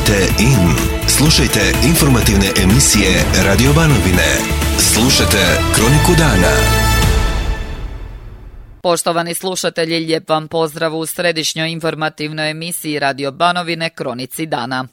Kliknite in. Slušajte informativne emisije Radio Banovine. Slušajte Kroniku dana. Poštovani slušatelji, lijep vam pozdrav u središnjoj informativnoj emisiji Radio Banovine Kronici dana.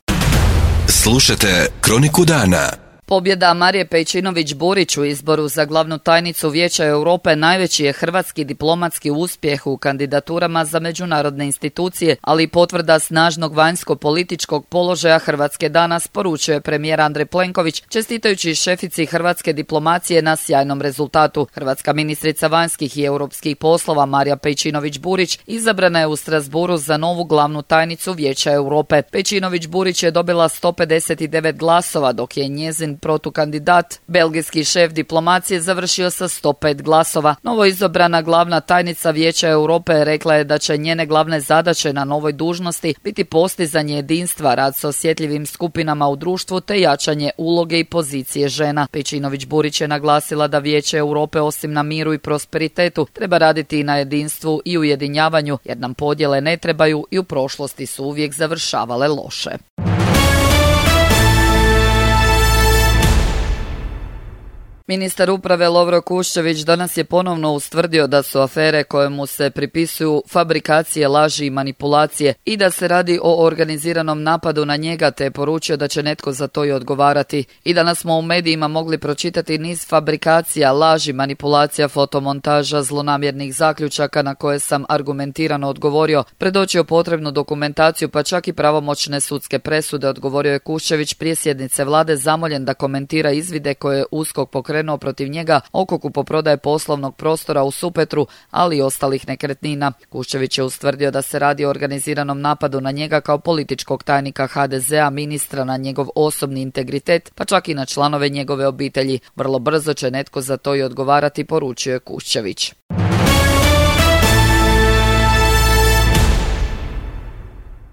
Slušajte Kroniku dana. Pobjeda Marije Pejčinović-Burić u izboru za glavnu tajnicu Vijeća Europe najveći je hrvatski diplomatski uspjeh u kandidaturama za međunarodne institucije, ali i potvrda snažnog vanjsko-političkog položaja Hrvatske danas, poručuje premijer Andrej Plenković, čestitajući šefici hrvatske diplomacije na sjajnom rezultatu. Hrvatska ministrica vanjskih i europskih poslova Marija Pejčinović-Burić izabrana je u Strasbourgu za novu glavnu tajnicu Vijeća Europe. Pejčinović-Burić je dobila 159 glasova, dok je njezin protukandidat, belgijski šef diplomacije, završio sa 105 glasova. Novo izabrana glavna tajnica Vijeća Europe rekla je da će njene glavne zadaće na novoj dužnosti biti postizanje jedinstva, rad s osjetljivim skupinama u društvu te jačanje uloge i pozicije žena. Pejčinović-Burić je naglasila da Vijeće Europe osim na miru i prosperitetu treba raditi i na jedinstvu i ujedinjavanju, jer nam podjele ne trebaju i u prošlosti su uvijek završavale loše. Ministar uprave Lovro Kuščević danas je ponovno ustvrdio da su afere koje mu se pripisuju fabrikacije laži i manipulacije i da se radi o organiziranom napadu na njega, te je poručio da će netko za to i odgovarati. I danas smo u medijima mogli pročitati niz fabrikacija, laži, manipulacija, fotomontaža, zlonamjernih zaključaka na koje sam argumentirano odgovorio, predočio potrebnu dokumentaciju pa čak i pravomoćne sudske presude, odgovorio je Kuščević prije sjednice vlade zamoljen da komentira izvide koje je USKOK pokrenuo protiv njega oko kupoprodaje poslovnog prostora u Supetru, ali i ostalih nekretnina. Kuščević je ustvrdio da se radi o organiziranom napadu na njega kao političkog tajnika HDZ-a, ministra, na njegov osobni integritet, pa čak i na članove njegove obitelji. Vrlo brzo će netko za to i odgovarati, poručio je Kuščević.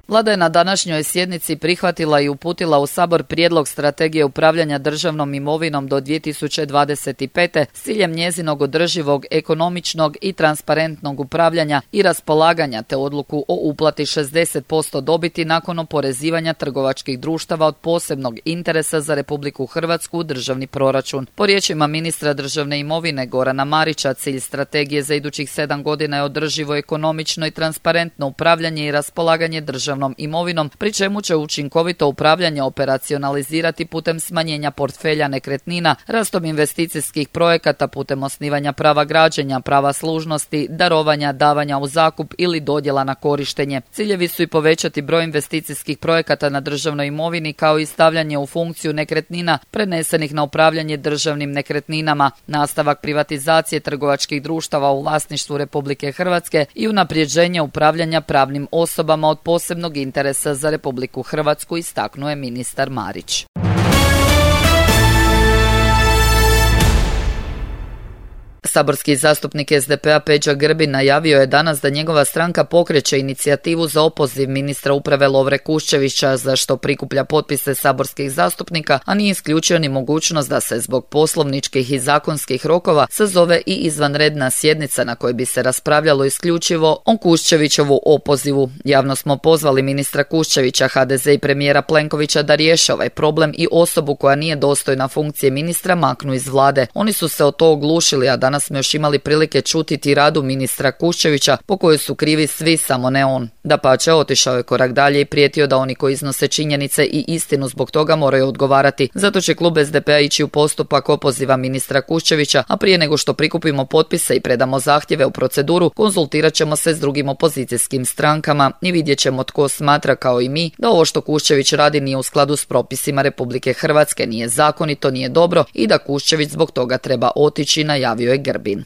Vlada je na današnjoj sjednici prihvatila i uputila u Sabor prijedlog strategije upravljanja državnom imovinom do 2025. s ciljem njezinog održivog, ekonomičnog i transparentnog upravljanja i raspolaganja, te odluku o uplati 60% dobiti nakon oporezivanja trgovačkih društava od posebnog interesa za Republiku Hrvatsku u državni proračun. Po riječima ministra državne imovine Gorana Marića, cilj strategije za idućih 7 godina je održivo, ekonomično i transparentno upravljanje i raspolaganje državnom imovinom, pri čemu će učinkovito upravljanje operacionalizirati putem smanjenja portfelja nekretnina, rastom investicijskih projekata putem osnivanja prava građenja, prava služnosti, darovanja, davanja u zakup ili dodjela na korištenje. Ciljevi su i povećati broj investicijskih projekata na državnoj imovini kao i stavljanje u funkciju nekretnina prenesenih na upravljanje državnim nekretninama, nastavak privatizacije trgovačkih društava u vlasništvu Republike Hrvatske i unapređenje upravljanja pravnim osobama od posebnog interesa za Republiku Hrvatsku, istaknuo je ministar Marić. Saborski zastupnik SDP-a Peđa Grbin najavio je danas da njegova stranka pokreće inicijativu za opoziv ministra uprave Lovre Kuščevića, za što prikuplja potpise saborskih zastupnika, a nije isključio ni mogućnost da se zbog poslovničkih i zakonskih rokova sazove i izvanredna sjednica na kojoj bi se raspravljalo isključivo o Kuščevićovu opozivu. Javno smo pozvali ministra Kuščevića, HDZ i premijera Plenkovića da riješe ovaj problem i osobu koja nije dostojna funkcije ministra maknu iz vlade. Oni su se o to oglušili, a danas smo još imali prilike čuti tiradu ministra Kuščevića po kojoj su krivi svi, samo ne on. Dapače, otišao je korak dalje i prijetio da oni koji iznose činjenice i istinu zbog toga moraju odgovarati. Zato će klub SDP-a ići u postupak opoziva ministra Kuščevića, a prije nego što prikupimo potpise i predamo zahtjeve u proceduru, konzultirat ćemo se s drugim opozicijskim strankama i vidjet ćemo tko smatra kao i mi da ovo što Kuščević radi nije u skladu s propisima Republike Hrvatske, nije zakonito, nije dobro i da Kuščević zbog toga treba otići, najavio je Grbin.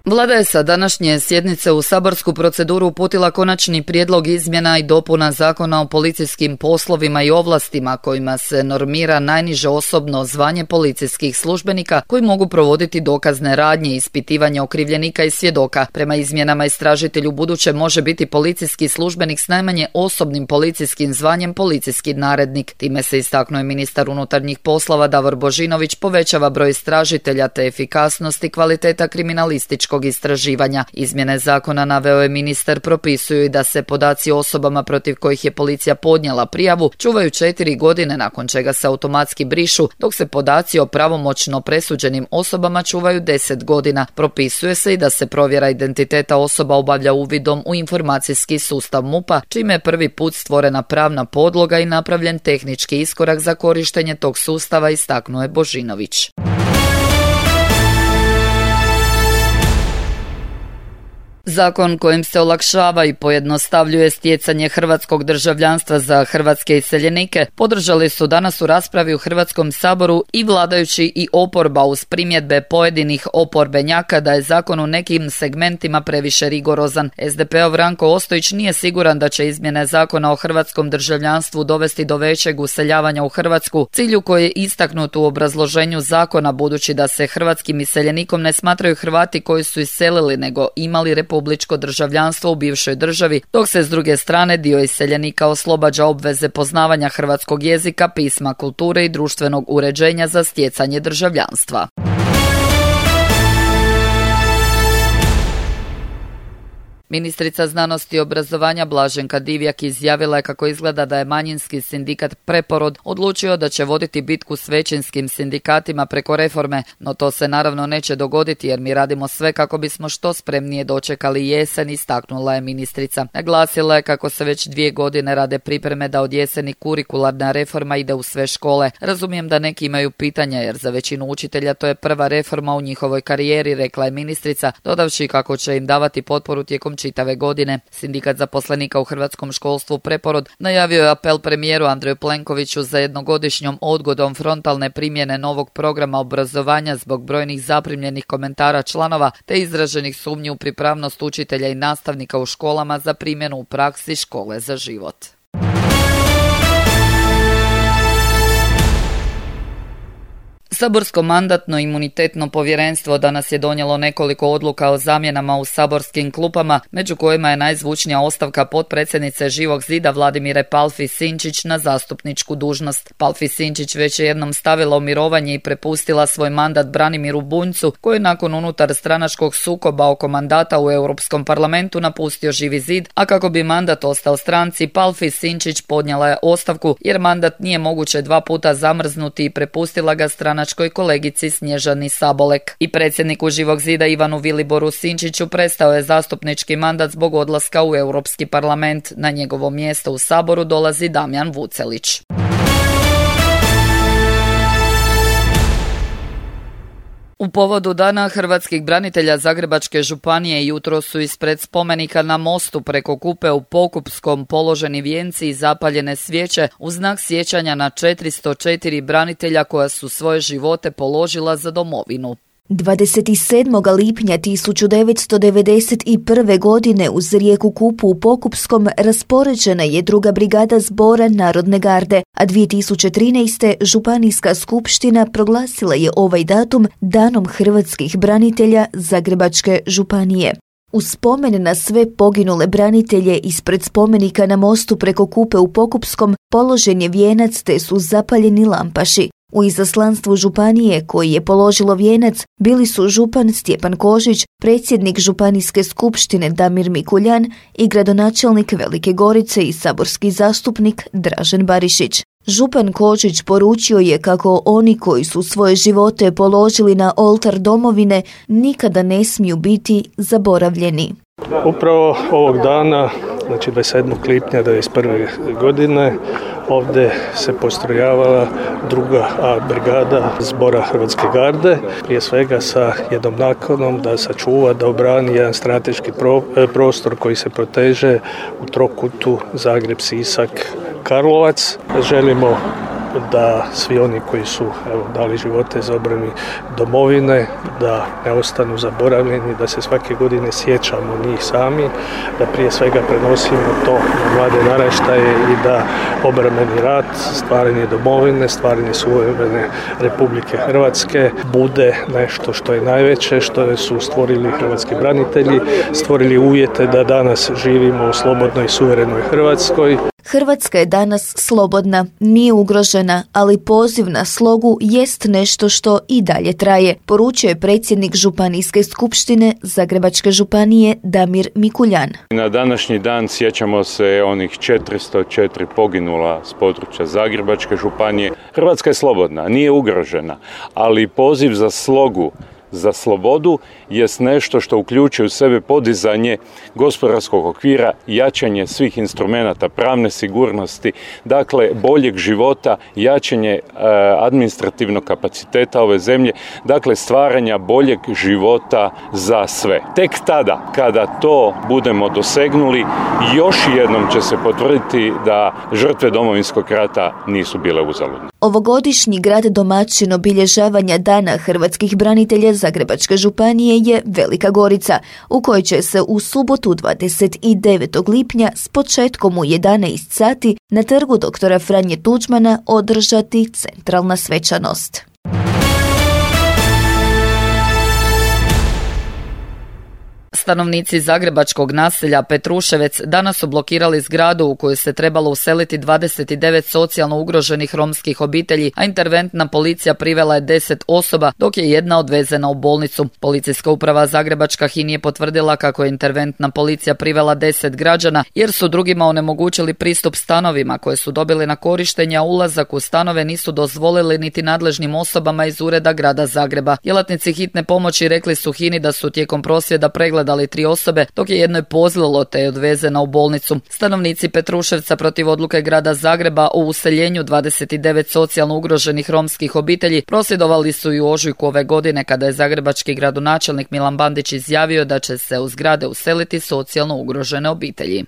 Vlada je sa današnje sjednice u saborsku proceduru uputila konačni prijedlog izmjena i dopuna Zakona o policijskim poslovima i ovlastima kojima se normira najniže osobno zvanje policijskih službenika koji mogu provoditi dokazne radnje i ispitivanje okrivljenika i svjedoka. Prema izmjenama istražitelj ubuduće može biti policijski službenik s najmanje osobnim policijskim zvanjem policijski narednik. Time se, istaknuo je ministar unutarnjih poslova Davor Božinović, povećava broj istražitelja te efikasnost i kvaliteta kriminalističkog statističkog istraživanja. Izmjene zakona, naveo je ministar, propisuju i da se podaci o osobama protiv kojih je policija podnijela prijavu čuvaju 4 godine, nakon čega se automatski brišu, dok se podaci o pravomoćno presuđenim osobama čuvaju 10 godina. Propisuje se i da se provjera identiteta osoba obavlja uvidom u informacijski sustav MUP-a, čime je prvi put stvorena pravna podloga i napravljen tehnički iskorak za korištenje tog sustava, istaknuo je Božinović. Zakon kojim se olakšava i pojednostavljuje stjecanje hrvatskog državljanstva za hrvatske iseljenike podržali su danas u raspravi u Hrvatskom saboru i vladajući i oporba, uz primjedbe pojedinih oporbenjaka da je zakon u nekim segmentima previše rigorozan. SDP-ov Ranko Ostojić nije siguran da će izmjene zakona o hrvatskom državljanstvu dovesti do većeg useljavanja u Hrvatsku, cilju koji je istaknut u obrazloženju zakona, budući da se hrvatskim iseljenikom ne smatraju Hrvati koji su iselili, nego imali republičko državljanstvo u bivšoj državi, dok se s druge strane dio iseljenika oslobađa obveze poznavanja hrvatskog jezika, pisma, kulture i društvenog uređenja za stjecanje državljanstva. Ministrica znanosti i obrazovanja Blaženka Divjak izjavila je kako izgleda da je manjinski sindikat Preporod odlučio da će voditi bitku s većinskim sindikatima preko reforme, no to se naravno neće dogoditi jer mi radimo sve kako bismo što spremnije dočekali jesen, istaknula je ministrica. Naglasila je kako se već 2 godine rade pripreme da od jeseni kurikularna reforma ide u sve škole. Razumijem da neki imaju pitanja jer za većinu učitelja to je prva reforma u njihovoj karijeri, rekla je ministrica, dodavši kako će im davati potporu tijekom čitave godine. Sindikat zaposlenika u hrvatskom školstvu Preporod najavio je apel premijeru Andreju Plenkoviću za jednogodišnjom odgodom frontalne primjene novog programa obrazovanja zbog brojnih zaprimljenih komentara članova te izraženih sumnji u pripravnost učitelja i nastavnika u školama za primjenu u praksi Škole za život. Saborsko mandatno-imunitetno povjerenstvo danas je donijelo nekoliko odluka o zamjenama u saborskim klupama, među kojima je najzvučnija ostavka potpredsjednice Živog zida Vladimire Palfi Sinčić na zastupničku dužnost. Palfi Sinčić već je jednom stavila u mirovanje i prepustila svoj mandat Branimiru Bunjcu, koji je nakon unutar stranačkog sukoba oko mandata u Europskom parlamentu napustio Živi zid, a kako bi mandat ostao stranci, Palfi Sinčić podnijela je ostavku jer mandat nije moguće 2 puta zamrznuti i prepustila ga stranačkoj kolegici Snježani Sabolek. I predsjedniku Živog zida Ivanu Viliboru Sinčiću prestao je zastupnički mandat zbog odlaska u Europski parlament. Na njegovo mjesto u Saboru dolazi Damjan Vucelić. U povodu Dana hrvatskih branitelja Zagrebačke županije jutros su ispred spomenika na mostu preko Kupe u Pokupskom položeni vijenci i zapaljene svijeće u znak sjećanja na 404 branitelja koja su svoje živote položila za domovinu. 27. lipnja 1991. godine uz rijeku Kupu u Pokupskom raspoređena je 2. brigada zbora Narodne garde, a 2013. Županijska skupština proglasila je ovaj datum Danom hrvatskih branitelja Zagrebačke županije. U spomen na sve poginule branitelje ispred spomenika na mostu preko Kupe u Pokupskom položen je vijenac te su zapaljeni lampaši. U izaslanstvu županije koji je položilo vijenac bili su župan Stjepan Kožić, predsjednik Županijske skupštine Damir Mikuljan i gradonačelnik Velike Gorice i saborski zastupnik Dražen Barišić. Župan Kožić poručio je kako oni koji su svoje živote položili na oltar domovine nikada ne smiju biti zaboravljeni. Upravo ovog dana, znači 27. lipnja 1991. godine, ovdje se postrojavala 2. brigada zbora Hrvatske garde, prije svega sa jednom nakanom da sačuva, da obrani jedan strateški prostor koji se proteže u trokutu Zagreb, Sisak, Karlovac. Želimo da svi oni koji su dali živote za obranu domovine, da ne ostanu zaboravljeni, da se svake godine sjećamo njih sami, da prije svega prenosimo to na mlade naraštaje i da obrambeni rat, stvaranje domovine, stvaranje suverene Republike Hrvatske bude nešto što je najveće, što su stvorili hrvatski branitelji, stvorili uvjete da danas živimo u slobodnoj i suverenoj Hrvatskoj. Hrvatska je danas slobodna, nije ugrožena, ali poziv na slogu jest nešto što i dalje traje, poručio je predsjednik Županijske skupštine Zagrebačke županije Damir Mikuljan. Na današnji dan sjećamo se onih 404 poginula s područja Zagrebačke županije. Hrvatska je slobodna, nije ugrožena, ali poziv za slogu, za slobodu jest nešto što uključuje u sebe podizanje gospodarskog okvira, jačanje svih instrumenata pravne sigurnosti, dakle boljeg života, jačanje administrativnog kapaciteta ove zemlje, dakle stvaranja boljeg života za sve. Tek tada, kada to budemo dosegnuli, još jednom će se potvrditi da žrtve Domovinskog rata nisu bile uzaludne. Ovogodišnji grad domaćin obilježavanja Dana hrvatskih branitelja Zagrebačke županije je Velika Gorica, u kojoj će se u subotu 29. lipnja s početkom u 11 sati na trgu doktora Franje Tuđmana održati centralna svečanost. Stanovnici zagrebačkog naselja Petruševec danas su blokirali zgradu u koju se trebalo useliti 29 socijalno ugroženih romskih obitelji, a interventna policija privela je 10 osoba, dok je jedna odvezena u bolnicu. Policijska uprava Zagrebačka HIN je potvrdila kako je interventna policija privela 10 građana, jer su drugima onemogućili pristup stanovima koje su dobili na korištenje, a ulazak u stanove nisu dozvolili niti nadležnim osobama iz ureda grada Zagreba. Djelatnici hitne pomoći rekli su HIN-i da su tijekom prosvjeda pregledali 3 osobe, dok je jednoj pozlilo te je odvezena u bolnicu. Stanovnici Petruševca protiv odluke grada Zagreba o useljenju 29 socijalno ugroženih romskih obitelji prosvjedovali su i u ožujku ove godine, kada je zagrebački gradonačelnik Milan Bandić izjavio da će se u zgrade useliti socijalno ugrožene obitelji.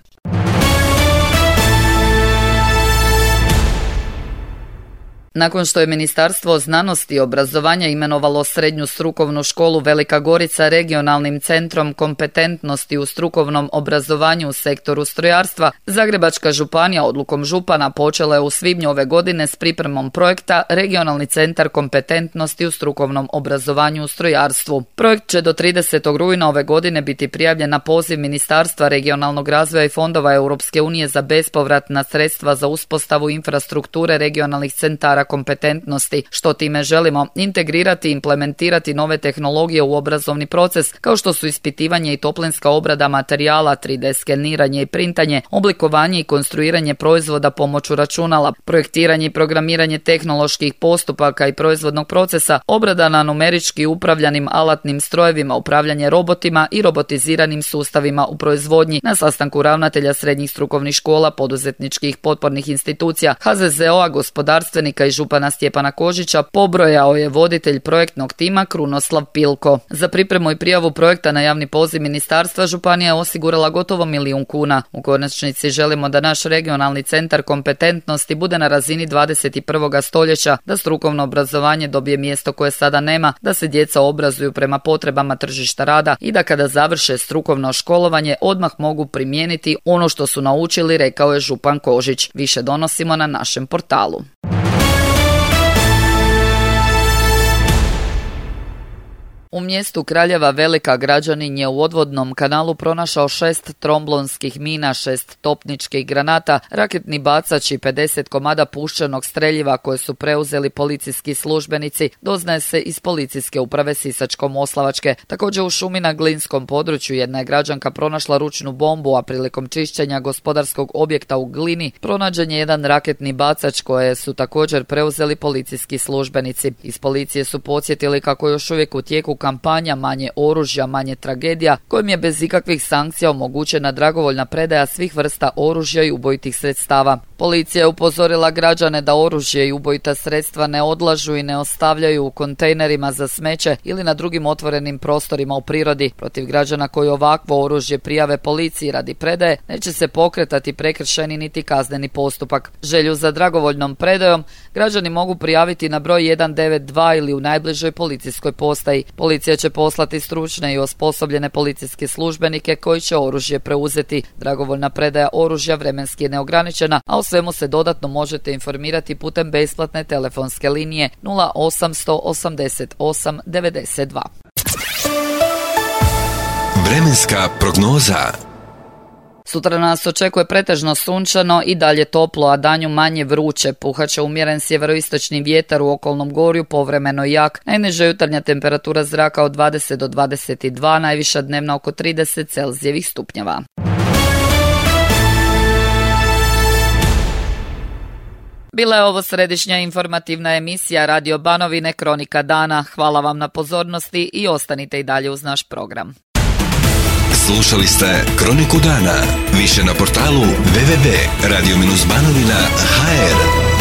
Nakon što je Ministarstvo znanosti i obrazovanja imenovalo Srednju strukovnu školu Velika Gorica regionalnim centrom kompetentnosti u strukovnom obrazovanju u sektoru strojarstva, Zagrebačka županija odlukom župana počela je u svibnju ove godine s pripremom projekta Regionalni centar kompetentnosti u strukovnom obrazovanju u strojarstvu. Projekt će do 30. rujna ove godine biti prijavljen na poziv Ministarstva regionalnog razvoja i fondova Europske unije za bespovratna sredstva za uspostavu infrastrukture regionalnih centara kompetentnosti, što time želimo integrirati i implementirati nove tehnologije u obrazovni proces, kao što su ispitivanje i toplinska obrada materijala, 3D skeniranje i printanje, oblikovanje i konstruiranje proizvoda pomoću računala, projektiranje i programiranje tehnoloških postupaka i proizvodnog procesa, obrada na numerički upravljanim alatnim strojevima, upravljanje robotima i robotiziranim sustavima u proizvodnji. Na sastanku ravnatelja srednjih strukovnih škola, poduzetničkih potpornih institucija, HZZO-a, gospodarstvenika i župana Stjepana Kožića pobrojao je voditelj projektnog tima Krunoslav Pilko. Za pripremu i prijavu projekta na javni poziv ministarstva županija je osigurala gotovo 1 milijun kuna. U konačnici želimo da naš regionalni centar kompetentnosti bude na razini 21. stoljeća, da strukovno obrazovanje dobije mjesto koje sada nema, da se djeca obrazuju prema potrebama tržišta rada i da kada završe strukovno školovanje odmah mogu primijeniti ono što su naučili, rekao je župan Kožić. Više donosimo na našem portalu. U mjestu Kraljeva Velika građanin je u odvodnom kanalu pronašao 6 tromblonskih mina, 6 topničkih granata, raketni bacač i 50 komada puščanog streljiva koje su preuzeli policijski službenici, doznaje se iz policijske uprave Sisačko-moslavačke. Također u šumi na Glinskom području jedna je građanka pronašla ručnu bombu, a prilikom čišćenja gospodarskog objekta u Glini pronađen je jedan raketni bacač koje su također preuzeli policijski službenici. Iz policije su podsjetili kako još uvijek u tijeku kampanja Manje oružja, manje tragedija, kojim je bez ikakvih sankcija omogućena dragovoljna predaja svih vrsta oružja i ubojitih sredstava. Policija je upozorila građane da oružje i ubojita sredstva ne odlažu i ne ostavljaju u kontejnerima za smeće ili na drugim otvorenim prostorima u prirodi. Protiv građana koji ovakvo oružje prijave policiji radi predaje neće se pokretati prekršajni niti kazneni postupak. Želju za dragovoljnom predajom građani mogu prijaviti na broj 192 ili u najbližoj policijskoj postaji. Policija će poslati stručne i osposobljene policijske službenike koji će oružje preuzeti. Dragovoljna predaja oružja vremenski je neograničena, a o svemu se dodatno možete informirati putem besplatne telefonske linije 0800 88 92. Vremenska prognoza. Sutra nas očekuje pretežno sunčano i dalje toplo, a danju manje vruće. Puhaće umjeren sjeveroistočni vjetar u okolnom gorju, povremeno jak. Najniža jutarnja temperatura zraka od 20 do 22, najviša dnevna oko 30 Celzijevih stupnjeva. Bila je ovo središnja informativna emisija Radio Banovine Kronika dana. Hvala vam na pozornosti i ostanite i dalje uz naš program. Slušali ste Kroniku dana. Više na portalu www.radio-banovina.hr.